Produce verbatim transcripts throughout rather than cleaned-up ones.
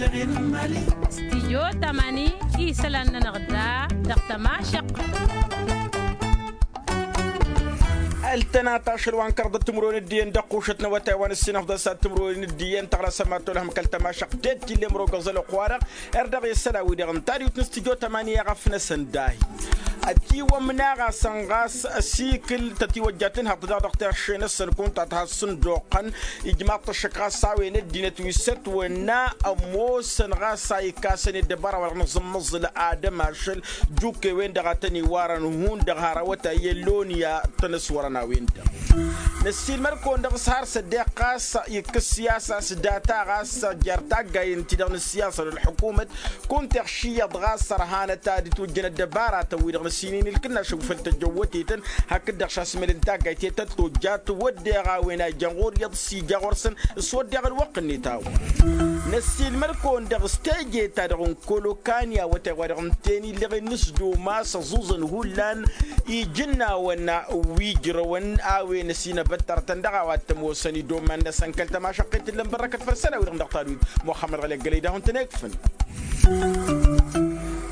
Stijyo tamani isălan-nănăɣ da dăɣ-tămašăq. Ăltănat ašăl wa n-kăraḍăt timǝrwen d-iyyăn dăɣ-kušăt n-awătay wa n-ǝssin afḍăn s-ad-timǝrwen d-iyyăn tăɣlasăm ad-tolhăm kăl-tămašăq tet-t-ille mărogăẓ ălwăqq-wa-dăɣ. Erdăɣ i-săl a-wi-dăɣ n-tadit n-stijyo tamani i-aɣăf-năsăn dahi. Ătiwămna ɣasăn ɣas ăsikǝl tătiwăjja tǝnhăḍt daɣ dăɣ-terše-năsăn kunta tăha s-sǝnduqăn ijmaḍ-t ăššăk ɣas a-wen ăddinăt wi s-ătwănna ămoosăn ɣas a ikkasăn i-ăddăbara wa dăɣ-nǝẓǝmmăẓǝl ad-ămašăl. Jukke-wen-dăɣ a tăn-iwarăn hundăɣ har awătay i-ăllonia tăn-ăswărăn a-wen-dăɣ. Năssiilmăd-kăwăn-dăɣ s-har s-ăddeɣ ɣas ikkăs siyasa s-data ɣas jer-taggayen-ti-dăɣ n-ăssiyasa d-ălḥukumăt. Kunta iɣš iyyăḍ ɣas ărhanăt ad-ǝtwǝjjăn ăddăbaratăn-wi-dăɣ n-ăssin inǝlkǝnnašăw făll-tăjjăwwătetăn hakd-dăɣ šasmăl n-taggayt i-tăt-tojjat wădden a-wen a ijăn ɣur-iyyăḍ s-ija ɣur-săn. S-wădden ălwăqq-net a-wa năssiilmăd-kăwăn-dăɣ s-teje-ta-dăɣ n-kăl-okani awătay wa dăɣ-ǝnta-en illăɣen n-s-duma s-ăẓuẓăn hullan ijǝnnawăn wi ǝjrăwăn a-wen ăsinăbăttărtăn dăɣ-a-wa t-ămoosăn idoman-năsăn kăl-tămašăqqet ǝllăn bărrăkăt făll-isălan-wi-dăɣ n-dăɣ-tadwit muxămmăd ɣăli ăggălăy d-ahun-tăn-ekfǝn.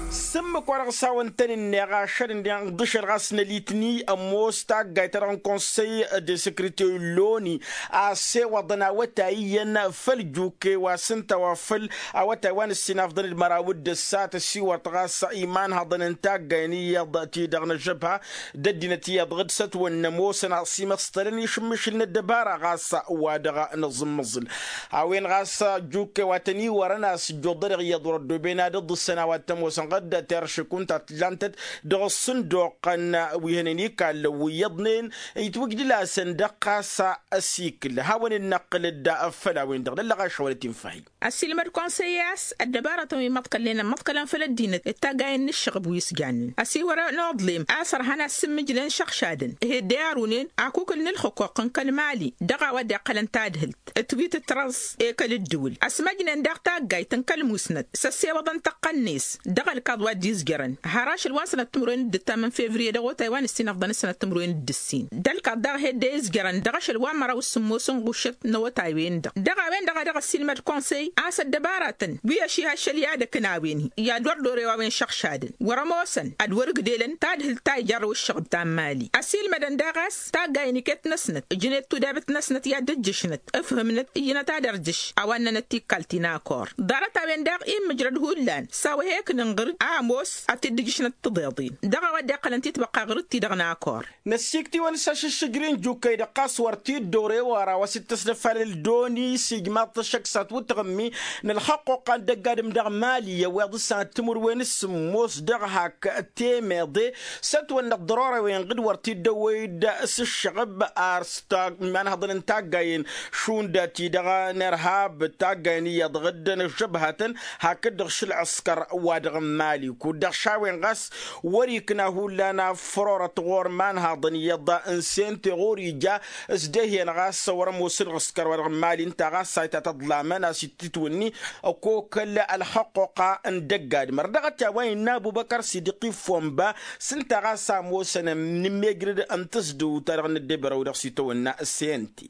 S-ǝmmǝk wa dăɣ-s hawăn-tăn-ǝnneɣ ašăl-ǝnneɣ ǝnḍǝšăl ɣas n-ălitni ămoos taggayt-ta-dăɣ n-konsăy de săkrăter loni a ăssewăḍăn awătay iyyăn făll-jukke wa s-ǝnta wa făll-awătay wa n-ǝssin afḍăn d-măraw d-ǝssat ăsiwărt ɣas imanhăḍăn n-taggayen iyyăḍ ti-dăɣ n-ăžžăbha d-ăddinăt iyyăḍ ɣǝd s-ătwănna ămoosăn a-s imăsṭălăn išǝmmǝšǝl n-ăddăbara ɣas wa dăɣ-nǝẓǝmmǝẓǝl. A-wen ɣas jukke wa tăn-iwărăn a-s ǝjjuḍăreɣ iyyăḍ wăr-ăddoben ad-ǝḍǝssăn a-wa t-ămoosăn ɣǝd terše kunta t-lantăt dăɣ-ăṣṣǝnduqăn wi hănen ikallăn wi iyyăḍnen itwǝjdǝl-asăn dăɣ-ɣas ăsikǝl hawăn-dd-năqqǝl-dd. Făll-a-wen-dăɣ d-ăllăɣaš hawăn-dd-tinfăhi. Ăsilmăd konsăy a-s ăddăbarătăn wi măḍkălnen ămmăḍkălăn făll-ăddinăt d-taggayen n-ǝššăɣb wi s-jannen ăsiwărăn oḍlem a-s ărhan a-s sǝmmǝjlăn šăɣšadăn. Heddey arǝwnen akukǝl n-ǝlxǝquq n-kăl-mali dăɣ-a-wa dd-iqqălăn tadhǝlt ătwit ǝtrăẓ i-kăl-ǝddǝwǝl ăsmăjnen daɣ taggayt n-kăl-musnăt s-ăssewăḍăn tăqqăn-net dăɣ-ălkaḍ wa dd-izjărăn har ašăl wa n-sănăt timǝrwen d-ǝttam n-fevriye dăɣ-otay wa n-ǝssin ăfḍăn s-sănăt timǝrwen d-ǝssin d-ălkaḍ daɣ heddey izjărăn dăɣ-ašăl wa n-măraw s-sǝmmos n-ɣušăt n-awătay-wen-dăɣ. Dăɣ-a-wen-dăɣ a dăɣ-ăssiilmăd konsăy a-s ăddăbaratăn wi ăšihăššăl i-ad-ăkna a-wen-hi i-ad-wăr dorew a-wen šăɣšadăn wăr-ămoosăn ad-wăr-ǝgdǝlăn tadhǝlt ta ijarrăw ǝššăɣb ta n-mali ăsiilmădăn daɣ a-s taggayen iket-năsnăt ǝjnet tudabǝt-năsnăt i-ad-dd-ǝjjǝšnăt ǝfhǝmnăt ǝyyǝnăt ad-ărjǝš a-wa ǝnnănăt tikkal ti n-akor. Ḍarăt-a-wen daɣ immǝjrăd hullan s-a-wa he-ǝknǝnɣǝr a ămoos ad-t-dd-ǝjjǝšnăt tiḍeḍen dăɣ-a-wa dd-iqqălăn titbăqqa ɣǝr-dd-ti-dăɣ n-akor. Năssiiktǝwăn s-ašǝššǝjri n-jukkăy dăɣ-ɣas wăr t-dd-orew ara wa s-dd-tăsnăfalăl doni s-ijmaḍ-t ăššăk s-ad-twǝttăɣǝmmi n-ălxăqquqqa n-dăgg-adǝm dăɣ-mali i-ăwweḍ s-ad-timǝrwen s-sǝmmos dăɣ-hak temeḍe s-ătwănnăɣ ḍărora-wen ɣǝd wăr t-dd-ăwwăy-dd s-ǝššăɣǝb ar s-ta imanhăḍăn n-taggayen šund ti-dăɣ n-irhab d-taggayen iyyăḍ ɣǝddăn ăžžăbhatăn hakd-dăɣ šăl ăskăr wa dăɣ-n mali kud-dăɣ šawen ɣas wăr ikna hullan afrorăt ɣur-imanhăḍăn iyyăḍ n-sente ɣur-ija s-dehiyăn ɣas wăr-ămoos ǝlɣǝskăr wa dăɣ-n mali ǝnta ɣas a itatăḍlamăn a-s ititwǝnni ăkokăl ălxăqquqa n-dăgg-adǝm ărdăɣăt i-a-wa innă ăbubăkăr s-idǝq iffon ba s-ǝnta ɣas a ămoosăn n-immejrăd n-tǝzdǝwt-ta-dăɣ n-ăddebărăw dăɣ-s itawănna s-ente.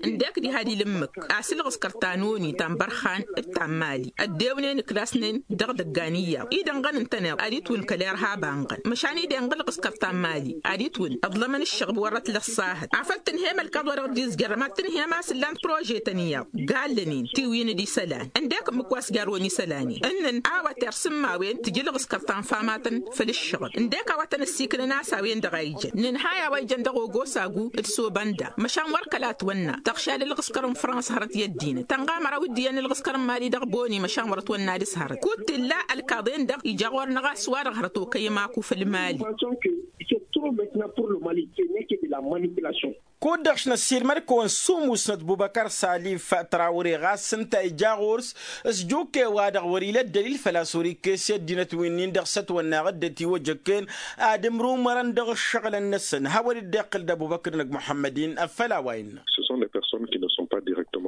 Ǝndek diha d-ila ǝmmǝk a-s ǝlɣǝskăr ta n-oni ta n-bărxan d-ta n-mali ăddewnen ǝklasnen dăɣ-idăggan iyyăḍ idănɣăn ǝntăneḍ ad-itwǝn kăl-irhab anɣăn măšan idenɣ ǝlɣǝskăr ta n-mali ad-itwǝn ǝḍlămăn ǝššăɣb wăr-ătlăssahăt afăl tǝnhăm ălkaḍ wa dăɣ-dd-izjărrăm ad-tǝnhăm a-s ǝllan prože-tăn iyyăḍ gallănen tiwǝyăn d-isălan ǝndek ǝmmǝk wa s-jarrăwăn isălan-in ǝnnăn a-wa tersǝmma a-wen tǝjǝl ɣǝskăr ta n-famatăn făll-ǝššăɣǝl ǝndek a-wa tăn-ăssikǝlăn a-s a-wen-dăɣ a ijăn nǝnhay a-wa ijăn dăɣ-ogosa gu d-sobănda măšan wăr kăla ătwănna tăɣšad ǝlɣǝskăr n-frans hărăt i-ăddinăt tănɣa măraw d-iyyăn ǝlɣǝskăr n-mali dăɣ-boni măšan wăr-ătwănna dăɣ-s hărăt kud t-illa ălkaḍen-dăɣ ija ɣur-năɣ a-s wa-dăɣ hărăt okăyăm aku făll-mali. Kud-dăɣ šnăssiilmăd-kăwăn s-umusnăt bubăkăr salif trawre ɣas ǝnta ija ɣur-s s-jukke-wa-dăɣ wăr-ila ăddălil făl-a-s wăr-ikkes i-ăddinăt wi-nin-dăɣ s-ătwănna ɣǝddăt iwăjăkken ad-ǝmrumărăn dăɣ-ǝššăɣǝlăn-năsăn hawăn-dd-iqqǝl d-ăbubăkr năgg muḥămmăd-in. Făll-a-wa innă.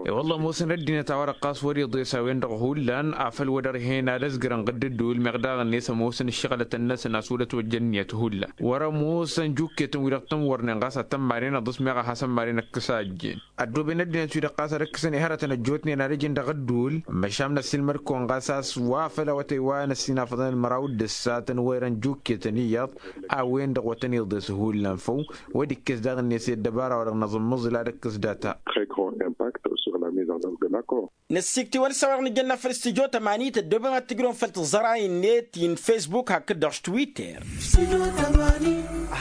I-wălla ămoosăn ăddinăt a-wa-dăɣ ɣas wăr-iḍes a-wen-dăɣ hullan afăl wăr-ărhen ad-ăzgărăn ɣǝdd ǝddǝwǝl meɣ daɣ-net ămoosăn ǝššăɣǝlăt-năsăn a-s wăr-ătwăjja ǝnniyăt hullan. Wăr-ămoosăn jukketăn-wi-dăɣ tăn-wărnen ɣas ad-tăn-maren aḍǝs meɣ a hasăn-maren ăkkăs a ăjjeen. Ăddooben ăddinăt-wi-dăɣ ɣas ad-ǝkkǝsăn i-hărătăn ăjjootnen ad-ǝjǝn dăɣ-ǝddǝwǝl. Măšan n-ăssiilmăd-kăwăn ɣas a-s wa făll-awătăy wa n-ăssinafăḍăn ălmăraw d-ǝssatăn wa irăn jukketăn iyyăḍ a-wen-dăɣ wăr tăn-iḍes hullan făw. Wăr dd-ikkes daɣ-net i-ăddăbara-wa-dăɣ n-aẓǝmmǝẓǝl ad-ǝkkǝs data. Très grand impact sur la mise en œuvre de l'accord. Năssikt'-iwăn s-a-wa-dăɣ nǝjănna făll-studyo tămanit ăddooben wa t-ǝjrăwăn făll-tǝẓẓăray-net i-n-facebook hakd-dăɣ s-twitter.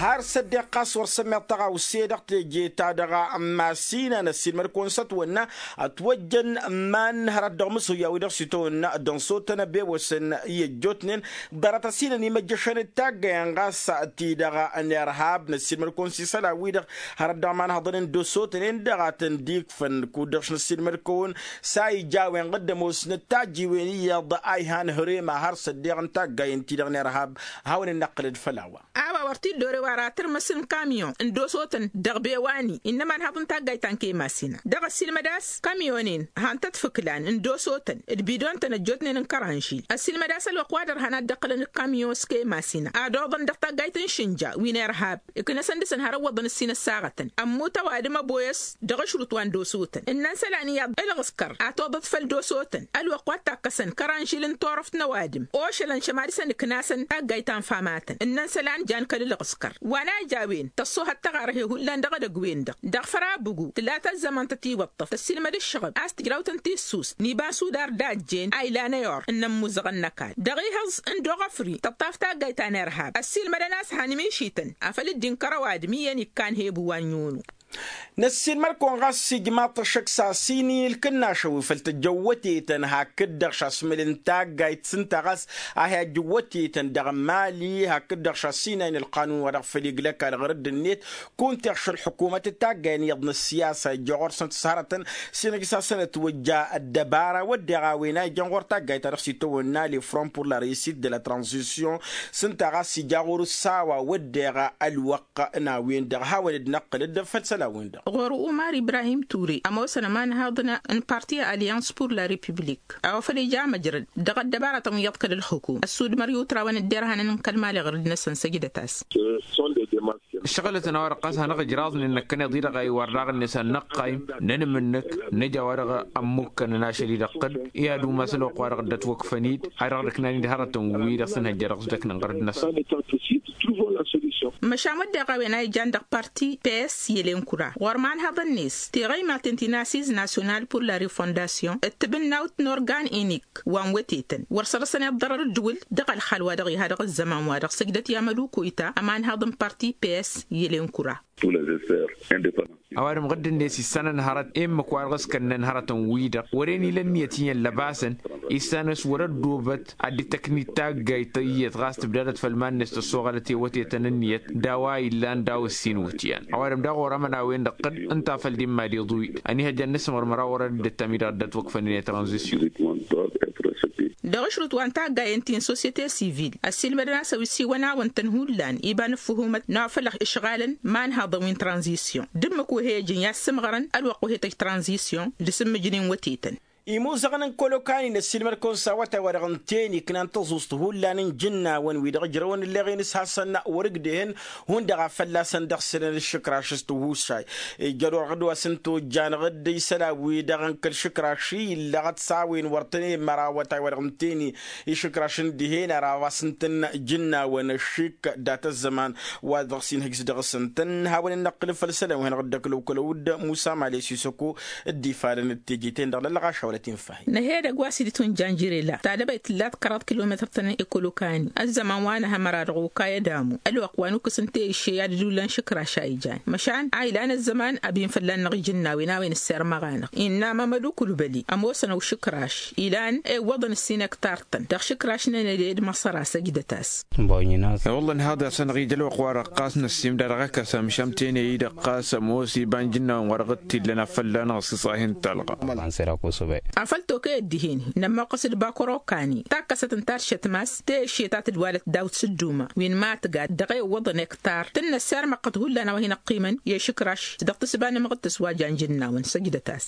Har s-ăddeɣ ɣas wăr sămmeḍ tăɣawse dăɣ-teje-ta-dăɣ n-masina n-ăssiilmăd-kăwăn s-ătwănna ătwăjjăn iman hărăt dăɣ-mǝsǝwya wi-dăɣ s-itawănna dăɣ-n sotăn ăbewăsăn i-ăjjootnen ḍarăt ăsinăn imăjjăšăn d-taggăyăn ɣas ti-dăɣ n-irhab n-ăssiilmăd-kăwăn s-isălan-wi-dăɣ hărăt dăɣ-imanhăḍăn n-dd-osotnen dăɣ-a tăn-dd-ikfăn kud-dăɣ-s năssiilmăd-kăwăn s-a ija a-wen ɣǝdd ămoosnăt tajjiwen iyyăḍ a ihan hărem a har s-ăddeɣ n-taggayen-ti-dăɣ n-irhab. Hawăn-in-năqqǝlăd făll-a-wa. A-wa wăr t-dd-ore wa ratărmăs n-kamyon n-dd-osotăn dăɣ-bewani innă ămanhăḍ n-taggayt ta n-kăy-masina dăɣ-ăssiilmăd a-s kamyonen han-tăt-fǝklan n-dd-osotăn d-bidon-tăn ăjjootnen n-kăranžil. Ăssiilmăd a-s ălwăqq wa dăr-hăn ad-dd-ăqqǝlăn d-kamyon s-kăy-masina ad-oḍăn dăɣ-taggayt n-išǝnja wi n-irhab. Iknăsăn dăɣ-săn hărăwwăḍăn ǝssin ăssaɣătăn ămmut ăwadǝm ăboyăs dăɣ-ašrut wa n-dd-osotăn ǝnnăn isălan iyyăḍ ǝlɣǝskăr a toḍăt făll-dd-osotăn ălwăqq wa t-takkăsăn kăranžil n-turăft n-ăwadǝm ošălăn šăma dăɣ-săn ǝknasăn taggayt ta n-famatăn ǝnnăn isălan jan kăl-ǝlɣǝskăr. Wa n-ajj a-wen tăṣṣohăt tăɣarhe hullan dăɣ-edăgg-wen-dăɣ dăɣ-făra abugu tǝla ta ăzzăman tătiwăṭṭăf tăssiilmăd ǝššăɣǝb a-s tǝjraw-tăn tissus n-iba n-sudar d-a ăjjeen a ilan i-or n-ămmuẓăɣăn n-ăkall dăɣ-ihǝẓ n-dd-oɣăfri tăṭṭaf taggayt ta n-irhab ăssiilmădăn a-s han mišităn afăl dd-inkăr ăwadǝm iyyăn ikkan hebu wa n-yunu. Năssiilmăd-kăwăn ɣas s-ijmaḍ-t ăššăk s-asin i-ǝlkǝnnašăn wi făl tăjjăwwătetăn hakd-dăɣ šasmǝl n-taggayt s-ǝnta ɣas a hi-ajjǝwwătetăn dăɣ-mali hakd-dăɣ šasinay n-ălqanun wa dăɣ-făll-iglăk ad-ɣărădd-net kunta iɣš ălḥukumăt d-taggayen iyyăḍ n-ăssiyasa ijjă ɣur-săn tǝshărătăn s-inăjj s-ad-săn-ătwăjja ăddăbara wădden a-wen a ijăn ɣur-taggayt ta dăɣ-s itawănna lefront pour la reussite de la transition. S-ǝnta ɣas ija ɣur-s a-wa wădden ălwăqq n-a-wen-dăɣ hawăn-dd-năqqǝlăd făll-isălan-wen-dăɣ. Ɣur-umar ibrahim ture ămoosăn ămanhăḍ n-parti alliance pour la république a-wa făl ija măjrăd dăɣ-ăddăbaratăn wi iyyăḍ kăl-ǝlxǝkum ăssudmăr i-utrawăn dd-irhanăn n-kăl-mali ɣărădd-năsăn săjdăt-as. Ǝššăɣǝlătăn a-wa-dăɣ ɣas hanăɣ-ǝjraẓnen năkkăneḍ-i-dăɣ a iwar daɣ-net ad-năqqayǝm nănmǝnnǝk nǝja a-wa-dăɣ ămmukkănăn ašăl-i-dăɣ tǝd-i ad-umas ălwăqq wa-dăɣ dd-ătwăkfăn-dd a dăɣ-dd-ăknanen d-hărătăn-wi-dăɣ s-ănhăjja dăɣ-s dăknăn ɣărăd-năsăn. Măšan wădden a-wen a ijan dăɣ-parti ps i-ălenkura ɣur-imanhăḍăn-net tiɣăymaten ti n-asiz nasyonal pour la refondasyon d-tibǝnnawt n-organ inik wa n-wătetăn wăr săr-săn iḍḍărăr ǝddǝwǝl dăɣ-ălxal wa dăɣ-iha dăɣ-ăzzăman wa dăɣ-săjdăt i-amăduku ita ămanhăḍ n-parti ps i-ălenkura. Ăwadǝm ɣǝdd-net issan ănhărăt i-ǝmmǝk wa dăɣ-s kănnăn hărătăn-wi-dăɣ wăren ila ǝnniyăt iyyăn lăbasăn issan a-s wăr-ăddoobăt ad-dd-tăknit taggayt iyyăt ɣas tǝbdadăt făll-iman-net tăssoɣălăt i-wătetăn ǝnniyăt d-a-wa illan d-a-wa ǝssin iwǝtyan. Ăwadǝm daɣ orămăn a-wen-dăɣ tǝd ǝnta a făl dd-imma d-iḍuy ănihăjja n-asǝmɣărmăr a wărăn dd-ăttam-i-dăɣ dd-ătwăkfăn-net tranzisyon. Dăɣ-ašrǝt wa n-taggayen ti n-sosyete sivil ăssiilmădăn a-s ăwisiwăn-awăn-tăn hullan iba n-ǝffǝhumăt n-a-wa făl ǝšɣalăn imanhăḍăn wi n-tranzisyon d-ǝmmǝk wa he-ijǝn i-ad-sǝmɣărăn ălwăqq wa he-tăj tranzisyon d-asǝmmǝjnen wătetăn. Imuzăɣăn n-kălokani n-ăssiilmăd-kăwăn s-awătay wa dăɣ-n teni ǝknan tăẓuẓt hullan n-ijǝnnawăn wi-dăɣ ǝjrăwăn ǝlleɣ-in s-hasăn wăr-ǝgdehăn hundăɣ a fălla-săn dăɣ-sănăn ǝššǝkraš s-tihushay. Ijjăr orăɣ-dd wa s-ǝnta ojjanăɣ-dd isălan wi-dăɣ n-kăl-išǝkraš-i illăɣăt s-a-wen wăr tăn-emmăr awătay wa dăɣ-n teni išǝkraš n-dihen ara wa s-ǝntăn ǝjǝnnawăn ăššik dat-ăzzăman wa dăɣ-s inhǝjs dăɣ-s ǝntăn hawăn-in-năqqǝlǝb făll-isălan wi hanăɣ-dd-ăklăw kălăw-dd musa male s-isăko dd-ifadăn d-teje-ten-dăɣ lăllăɣaša wăla t-infahi. N-ehedăg wa s-dd-tunjan jire la tadăbayt tǝllat kăraḍ kilometăr-tăn ekolokani ăzzăman wa n-ehămăra dăɣ-okay ădamu ălwăqq wa n-ukǝs n-teyǝšše i-ad-dd-ullan šǝkraš a ijan măšan a ilan ăzzăman ăbin fălla-năɣ ijǝnnawen a-wen ǝssermăɣ-anăɣ innă mamăd ukulbăli ămoosăn ăwšǝkraš ilan ewwăḍăn ǝssin ektar-tăn dăɣ-išǝkraš n-enăde d-măṣăra săjdăt-as. I-wălla ănhaḍ-as-anăɣ-ija ălwăqq-wa-dăɣ ɣas năssimda dăɣ-akăsa măšan tene-i-dăɣ ɣas ămoos iba n-ijǝnnawăn wa dăɣ-t-illăn a fălla-năɣ s-iṣahi n-talɣa. Afăl tokăyăt dihen-i nămmoqqăs d-bakăro kani takkăsăt n-taršăt mas tăyăšše ta tǝdwalăt daw-t s-ǝdduma wi n-ma tǝgad dăɣ-e ǝwwăḍăn ektar tǝnnăs irmăqqăt hullan a-wa hin-ăqqimăn i-ašǝkraš dăɣ-tǝsba n-amăɣ d-tǝswa janjǝnnawăn săjdăt-as.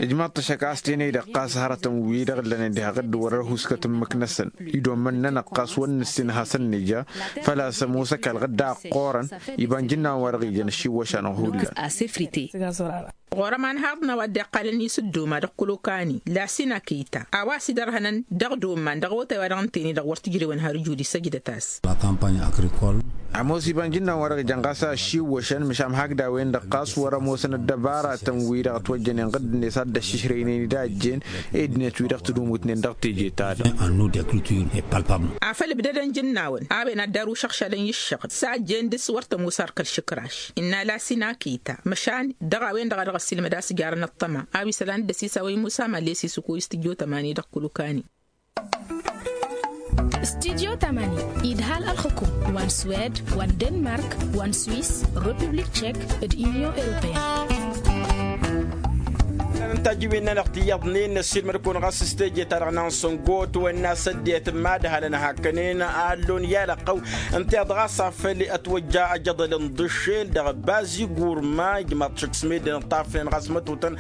Ijmaḍ-t ăššăk a-s tenăy-dăɣ ɣas hărătăn-wi-dăɣ ǝllănen diha ɣǝdd wăr-ăhuskăt ǝmmǝk-năsăn idommăn-nănăɣ ɣas wăr nǝssin hasăn-nǝja. Făl-a-s ămoos ăkall ɣǝdda ăqqoorăn iba n-jǝnnawăn wa dăɣ-ijăn ăššiwwăš-anăɣ hullan. Ɣur-ămanhaḍ n-a-wa dd-iqqalăn i-sǝdduma dăɣ-kăl-okani lasin akita a-wa s-idărhănăn dăɣ-domman dăɣ-awătay wa dăɣ-ǝnta-en-i-dăɣ wăr tǝjrewăn har ijud isăjdăt-as. Ămoos iba n-jǝnnawăn wa dăɣ-ijăn ɣas a ăššiwwăšăn măšan hakd a-wen-dăɣ ɣas wăr-ămoosăn ăddăbaratăn-wi-dăɣ ătwăjjănen ɣǝdd-net a dd-ăššišrăynen d-a ăjjeen ăddinăt-wi-dăɣ tǝdumut-nen dăɣ-teje-ta-dăɣ. Afăl ǝbdădăn jǝnnawăn a-wen ad-dd-arǝw šăɣšadăn i-ǝššăɣǝl s-a ăjjeen dăɣ-s wăr tămoos ark ălšǝkraš innă lasin akita măšan dăɣ-a-wen-dăɣ a dăɣ-ăssiilmăd a-s jarăn ăṭṭăma a-wa isălan d-ăsiis a-wa imusa mali ăsiis ǝkuyǝs tǝjjo tămani dăɣ-kăl-okani. Studyo tămani idhal ălxǝkum wa n-swed wa n-denmark wa n-swis, republik tšek d-inyon europeyăn. Ǝnta a jiwen-nănăɣ tiyyăḍnen ăssiilmăd-kăwăn ɣas s-teje-ta-dăɣ n-ansăngo ătwănna s-ăddinăt madhalăn hakănen a ăllon i-alăqqăw ǝnta iyyăḍ ɣas afăl ătwăjja ajăḍăl n-iḍǝššel dăɣ-bazi gurma ijmaḍ-t šăkk s-meddǝn ǝṭṭafnen ɣas mătotăn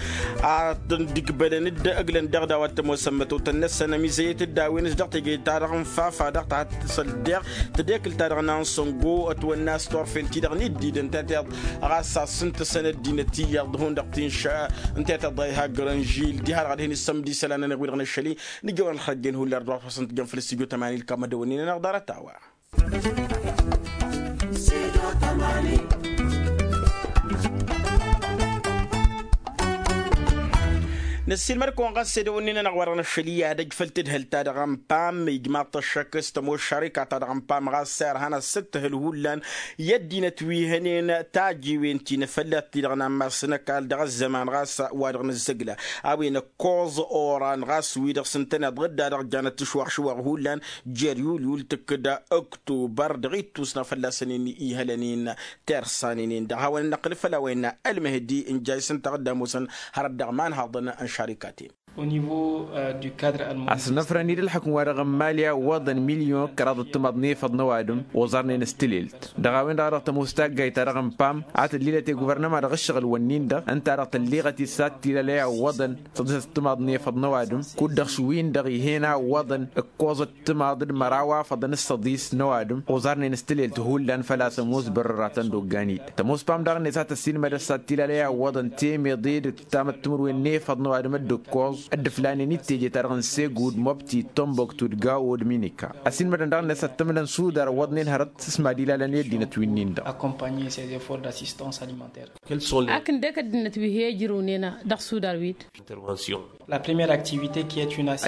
ad-dd-ǝgbălăn-dd ăglăn dăɣ-daw ad-t-ămoosăn mătotăn-năsăn ămizăyăt-dd a-wen s-dăɣ-teje-ta-dăɣ n-fafa dăɣ-tahat tǝsăl deɣ tădekǝlt-ta-dăɣ n-ansăngo ătwănna a-s turfen-ti-dăɣ n-dd-idăn tătiḍ ɣas a-s ǝntăsăn ăddinăt iyyăḍ hundăɣ tinša ǝnta i-tăḍa iha grănžil diha-dăɣ ad-hin-issămd isălan-nănăɣ wi-dăɣ n-ašăl-i. Nǝjjăwăn ălxărăjjen hullan ărdăɣ wa t-făssăn tǝjjăn făll-studyo tămani ǝlkam ad-dăwănnin-anăɣ ḍarăt a-wa. Năssiilmăd-kăwăn ɣas edăwănnin-anăɣ wa dăɣ-năššăl i-ad-ăj făll-tadhǝlt-ta-dăɣ n-pam ijmaḍ-t ăššăk s-tămoššarika-ta-dăɣ n-pam ɣas irhan asǝttǝhǝl hullan i-ăddinăt wi hănen tajiwen ti n-afăllat-ti-dăɣ n-ammas n-ăkall dăɣ-ăzzăman ɣas wa dăɣ-nǝzzăgla a-wen ăkkoẓ oran ɣas wi-dăɣ s-ǝntăneḍ ɣǝdda dăɣ-janăt tǝšwaɣ-šwaɣ hullan jer-yulyul tǝkkǝd ăktubăr dăɣ-ittus n-afălla-săn-in ihălăn-in tersan-inin-dăɣ hawăn-in-năqqǝl făll-a-wa innă ălmăhdi n-jayǝs ǝnta a dd-ămoosăn hărăt dăɣ-imanhaḍăn n-šarikaten. Asnăfrăn-dd ǝlxǝkǝm wa dăɣ-n mali a ǝwwăḍăn milyon kăraḍ d-timaḍ n-efăḍ n-ăwadǝm oẓarnen s-tilelt dăɣ-a-wen-dăɣ a dăɣ-tămoos taggayt-ta-dăɣ n-pam a tăllilăt i-guvărnăma dăɣ-ǝššăɣǝl-wǝnnin-dăɣ ǝnta a dăɣ-tălliɣăt-dd s-ad-t-ilalăy a ǝwwăḍăn săḍisăt timaḍ n-efăḍ n-ăwadǝm kud-dăɣ šwin-dăɣ ih'-en a ǝwwăḍăn ǝkkoẓăt timaḍ d-măraw afăḍăn s-săḍis n-ăwadǝm oẓarnen s-tilelt hullan făl-a-s ămoos bărăratăn d-oggan-dd tămoos pam daɣ-net a tăssinmădăt s-ad-t-ilalăy a ǝwwăḍăn temeḍe d-ǝttamăt timǝrwen n-efăḍ n-ăwadǝm dd-ǝkkoẓ dd-ǝflanen i-teje-ta-dăɣ n-segud mobti tomboktu d-gawo d-minika. Ăsinmădăn daɣ-net ad-t-ǝmlăn sudar ǝwwăḍnen hărăt s-mad-ilalăn i-ăddinăt wi-nin-dăɣ. Ak ǝndek ăddinăt wi he-ijrǝwnen dăɣ-sudar-wi-dd.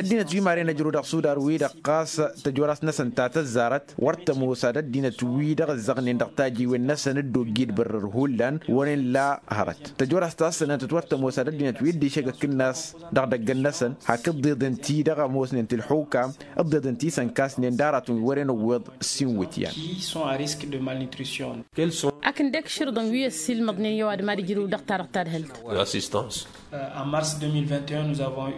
Ăddinăt wi maren ăjrǝw dăɣ-sudar-wi-dăɣ ɣas tăjor-as-năsăn ta tăzzarăt wăr tămoos ad-ăddinăt-wi-dăɣ ǝzzăɣnen dăɣ-tajiwen-năsăn dd-ojji d-bărrăr hullan wăren la hărăt tăjor-as ta s-sănătăt wăr tămoos ad-ăddinăt wi dd-išăgg ăkǝnnas dăɣ-idăggăn-năsăn hak ǝḍḍeḍen ti-dăɣ ămoosnen ti ǝlxukam ǝḍḍeḍen ti s-ănkasnen d-aratăn wi wăren ăwweḍ s-inwǝtyan. Ak ǝndek širḍăn wi ăssiilmăḍnen i-ăwadǝm ad-ǝjrǝw dăɣ-ta-dăɣ tadhǝlt.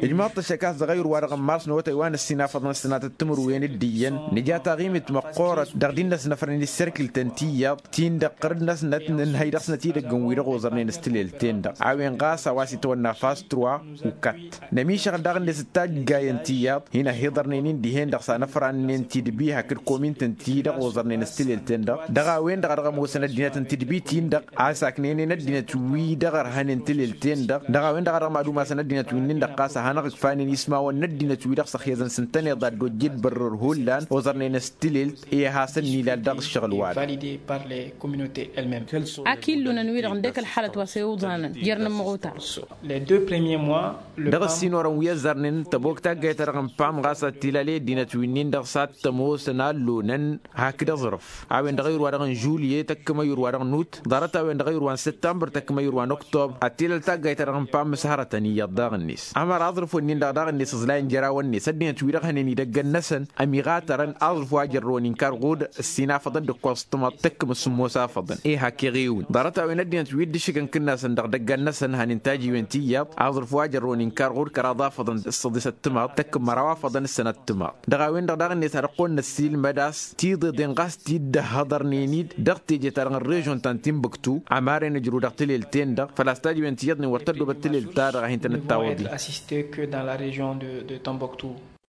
Ijmaḍ-t ăššăk a-s dăɣ-ayǝr-wa-dăɣ n-mars n-awătay wa n-ǝssin afăḍăn s-sănatăt timǝrwen d-iyyăn nǝja taɣimit măqqoorăt dăɣ-dd-innăsnăfrăn isserkǝl-tăn tiyyăḍ ti-dăɣ ɣărd-năsnăt nǝnhăy dăɣ-snăt idăggăn-wi-dăɣ oẓărnen s-tilelt-ten-dăɣ a-wen ɣas a-wa s-itwănna fas truwa ukăt nămišăɣ daɣ-net d-taggayăn tiyyăḍ hin-ăhiḍărnen-in dihen-dăɣ s-anăfrannen tidbi hakd komintăn-ti-dăɣ oẓărnen s-tilelt-ten-dăɣ dăɣ-a-wen-dăɣ a dăɣ-ămoosăn ăddinăt n-tidbi-tin-dăɣ a-s aknenen ăddinăt-wi-dăɣ ărhănen tilelt-ten-dăɣ dăɣ-a-wen-dăɣ a dăɣ-mad-umasăn ăddinăt wi-nin-dăɣ ɣas a hanăɣ-ǝkfanen ismawăn n-ăddinăt-wi-dăɣ s-ăxyăzăn s-ǝntăneḍ ad-dd-ojjed bărrăr hullan oẓărnen s-tilelt i-ad-hasăn-nilal dăɣ-ǝššăɣǝl-wa-dăɣ. Ak illunăn-wi-dăɣ ǝndek ălxalăt wa s-e-iwḍanăn jer-inǝmmăɣuta. Dăɣ-ǝssin orăn wi ăzzarnen tăbok taggayt-ta-dăɣ n-pam ɣas ad-t-ilal i-ăddinăt wi-nin-dăɣ s-ad-t-ămoosăn a ăllonăn hakd aẓrǝf a-wen dăɣ-ayǝr-wa-dăɣ n-žulyet ăkkăm ayǝr-wa-dăɣ n-ut ḍarăt-a-wen dăɣ-ayǝr-wa n-săttămbăr tăkkăm ayǝr-wa n-oktobăr ad-t-ilal taggayt-ta-dăɣ n-pam s-hărătăn iyyăḍ daɣ-net. Ămăra aẓrǝf-wen-in-dăɣ daɣ-net ǝẓlayăn jer-awăn-net ăddinăt-wi-dăɣ hănen idăgg-năsăn ămiɣatărăn aẓrǝf wa jărrăwăn inkar ɣud ăssin afăḍăn d-ǝkkoẓ s-tǝmăḍt tăkkǝm s-sǝmmos afăḍăn. Iha keɣ-ewǝn ḍarăt-a-wen ăddinăt wi dd-ǝššǝgăn kǝnnasăn dăɣ-idăggan-năsăn hănen tajiwen tiyyăḍ aẓrǝf wa jărrăwăn inkar ɣud kăraḍ afăḍăn d-săḍisăt tǝmăḍt tăkkǝm măraw afăḍăn s-sănăt tǝmăḍt. Dăɣ-a-wen-dăɣ daɣ-net ad-ăqqoyăn năssiilmăd a-s tiḍeḍen ɣas t-dd-ăhhăḍărnen-dd dăɣ-teje-ta-dăɣ n-režon ta n-tinbuktu. Ămaren ǝjrǝw dăɣ-tilelt-en-dăɣ făl-a-s tajiwen tiyyăḍnen wăr tăddobăt tilelt-ta-dăɣ a hin-tănăt-tawăḍ-i.